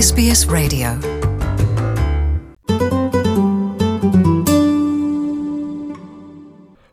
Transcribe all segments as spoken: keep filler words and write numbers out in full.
Ес Би Ес Radio.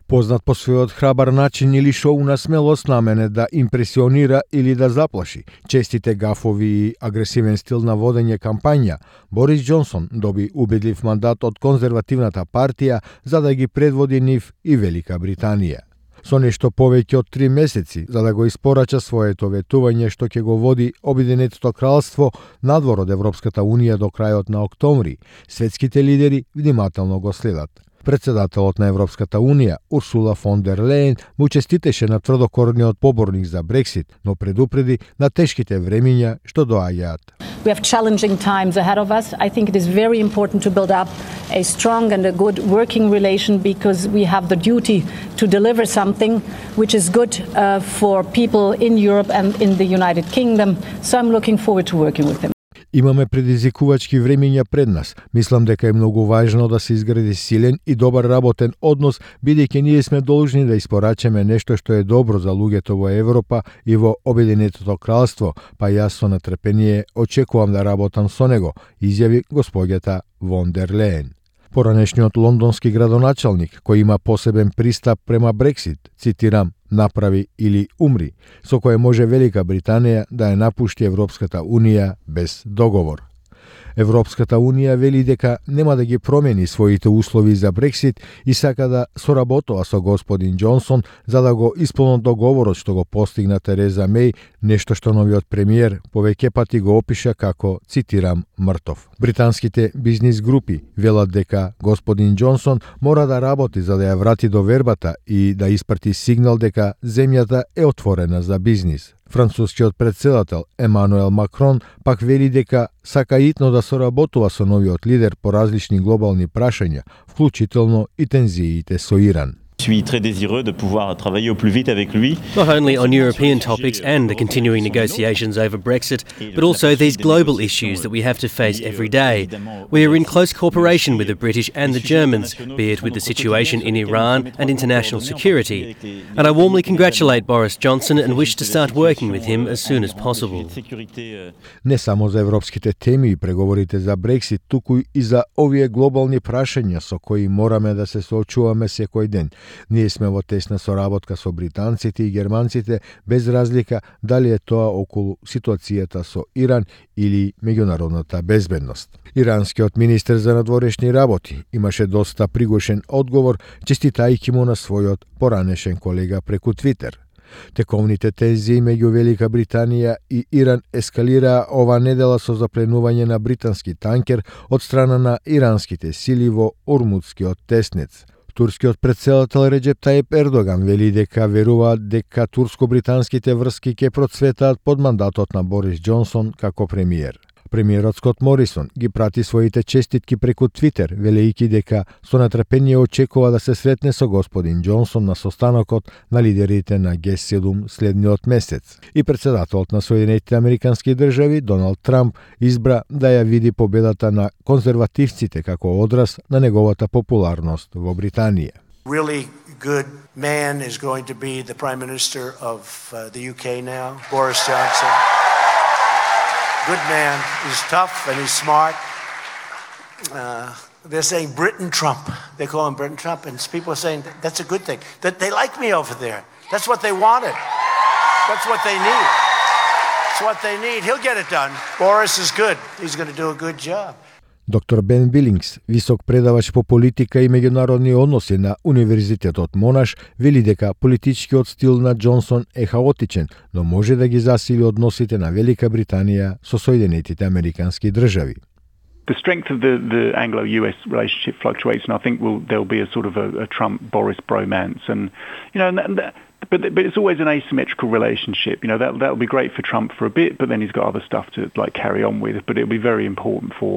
Познат по својот храбар начин или шоуна смелост намене да импресионира или да заплаши, честите гафови и агресивен стил на водење кампања, Борис Џонсон доби убедлив мандат од конзервативната партија за да ги предводи нив и Велика Британија. Со нешто повеќе од три месеци за да го испорача своето ветување што ќе го води Обединетото кралство надвор од Европската унија до крајот на октомври, светските лидери внимателно го следат. Председателот на Европската унија, Урсула фон дер Лејен, му честитеше на тврдокорниот поборник за Брексит, но предупреди на тешките времиња што доаѓаат. We have challenging times ahead of us. I think it is very important to build up a strong and a good working relation because we have the duty to deliver something which is good uh, for people in Europe and in the United Kingdom. So I'm looking forward to working with them. Имаме предизвикувачки времиња пред нас. Мислам дека е многу важно да се изгради силен и добар работен однос, бидејќи ние сме должни да испорачаме нешто што е добро за луѓето во Европа и во Обединетото кралство, па јас со нетрпение очекувам да работам со него, изјави госпоѓата фон дер Лејен. Поранешниот лондонски градоначалник, кој има посебен пристап према Брексит, цитирам, направи или умри, со кое може Велика Британија да ја напушти Европската унија без договор. Европската унија вели дека нема да ги промени своите услови за Брексит и сака да соработува со господин Џонсон за да го исполнат договорот што го постигна Тереза Меј, нешто што новиот премиер повеќе пати го опиша како, цитирам, мртов. Британските бизнис групи велат дека господин Џонсон мора да работи за да ја врати довербата и да испрати сигнал дека земјата е отворена за бизнис. Францускиот председател Емануел Макрон пак вели дека сака итно да соработува со новиот лидер по различни глобални прашања, вклучително и тензиите со Иран. Je suis très désireux de pouvoir travailler au plus vite avec lui. Not only on European topics and the continuing negotiations over Brexit, but also these global issues that we have to face every day. We are in close cooperation with the British and the Germans, be it with the situation in Iran and international security. And I warmly congratulate Boris Johnson and wish to start working with him as soon as possible. Не само за европските теми и преговорите за Брексит, туку и за овие глобални прашања со кои мораме да се соочуваме секој ден. Ние сме во тесна соработка со британците и германците, без разлика дали е тоа околу ситуацијата со Иран или меѓународната безбедност. Иранскиот министер за надворешни работи имаше доста пригошен одговор, честитајќи му на својот поранешен колега преку Твитер. Тековните тензии меѓу Велика Британија и Иран ескалираа ова недела со запленување на британски танкер од страна на иранските сили во Ормудскиот теснец. Турскиот председател Реджеп Таип Ердоган вели дека веруваат дека турско-британските врски ќе процветаат под мандатот на Борис Џонсон како премиер. Премиерот Скот Морисон ги прати своите честитки преку Твитер, велејќи дека со нетрпение очекува да се сретне со господин Џонсон на состанокот на лидерите на Ге седум следниот месец. И председателот на Соединетите Американски држави, Доналд Трамп, избра да ја види победата на конзервативците како одраз на неговата популарност во Британија. Really good man is going to be the Prime Minister of uh, the U K now, Boris Johnson. Good man. He's tough and he's smart. Uh, they're saying Britain Trump. They call him Britain Trump, and people are saying that's a good thing. That they like me over there. That's what they wanted. That's what they need. That's what they need. He'll get it done. Boris is good. He's going to do a good job. Доктор Бен Билингс, висок предавач по политика и меѓународни односи на Универзитетот Монаш, вели дека политичкиот стил на Џонсон е хаотичен, но може да ги засили односите на Велика Британија со Соединетите Американски држави. The strength of the, the Anglo-U S relationship fluctuates, and I think we'll, there'll be a sort of a, a Trump-Boris bromance, and you know, and that, but but it's always an asymmetrical relationship. You know, that that'll be great for Trump for a bit, but then he's got other stuff to like carry on with. But it'll be very important for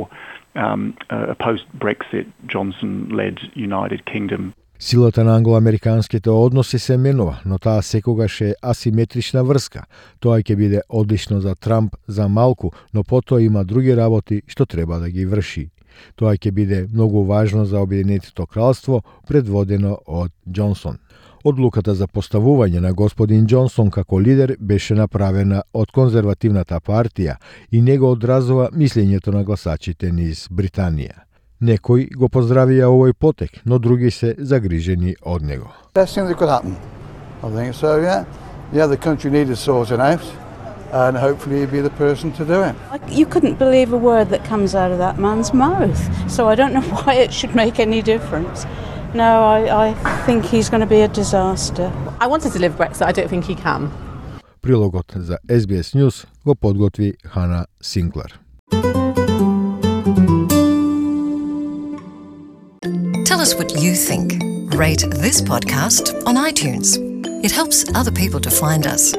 um, a post-Brexit Johnson-led United Kingdom. Силата на англо-американските односи се менува, но таа секогаш е асиметрична врска. Тоа ќе биде одлично за Трамп за малку, но потоа има други работи што треба да ги врши. Тоа ќе биде многу важно за Обединетото кралство, предводено од Џонсон. Одлуката за поставување на господин Џонсон како лидер беше направена од конзервативната партија и не го одразува мислењето на гласачите низ Британија. Некои го поздравија овој потек, но други се загрижени од него. Best thing that could happen. I think so, yeah. Yeah, the country needed sorting out, and hopefully he'd be the person to do it. You couldn't believe a word that comes out of that man's mouth, so I don't know why it should make any difference. No, I, I think he's going to be a disaster. I wanted to live Brexit, I don't think he can. Прилогот за Ес Би Ес News го подготви Хана Синклер. Tell us what you think. Rate this podcast on iTunes. It helps other people to find us.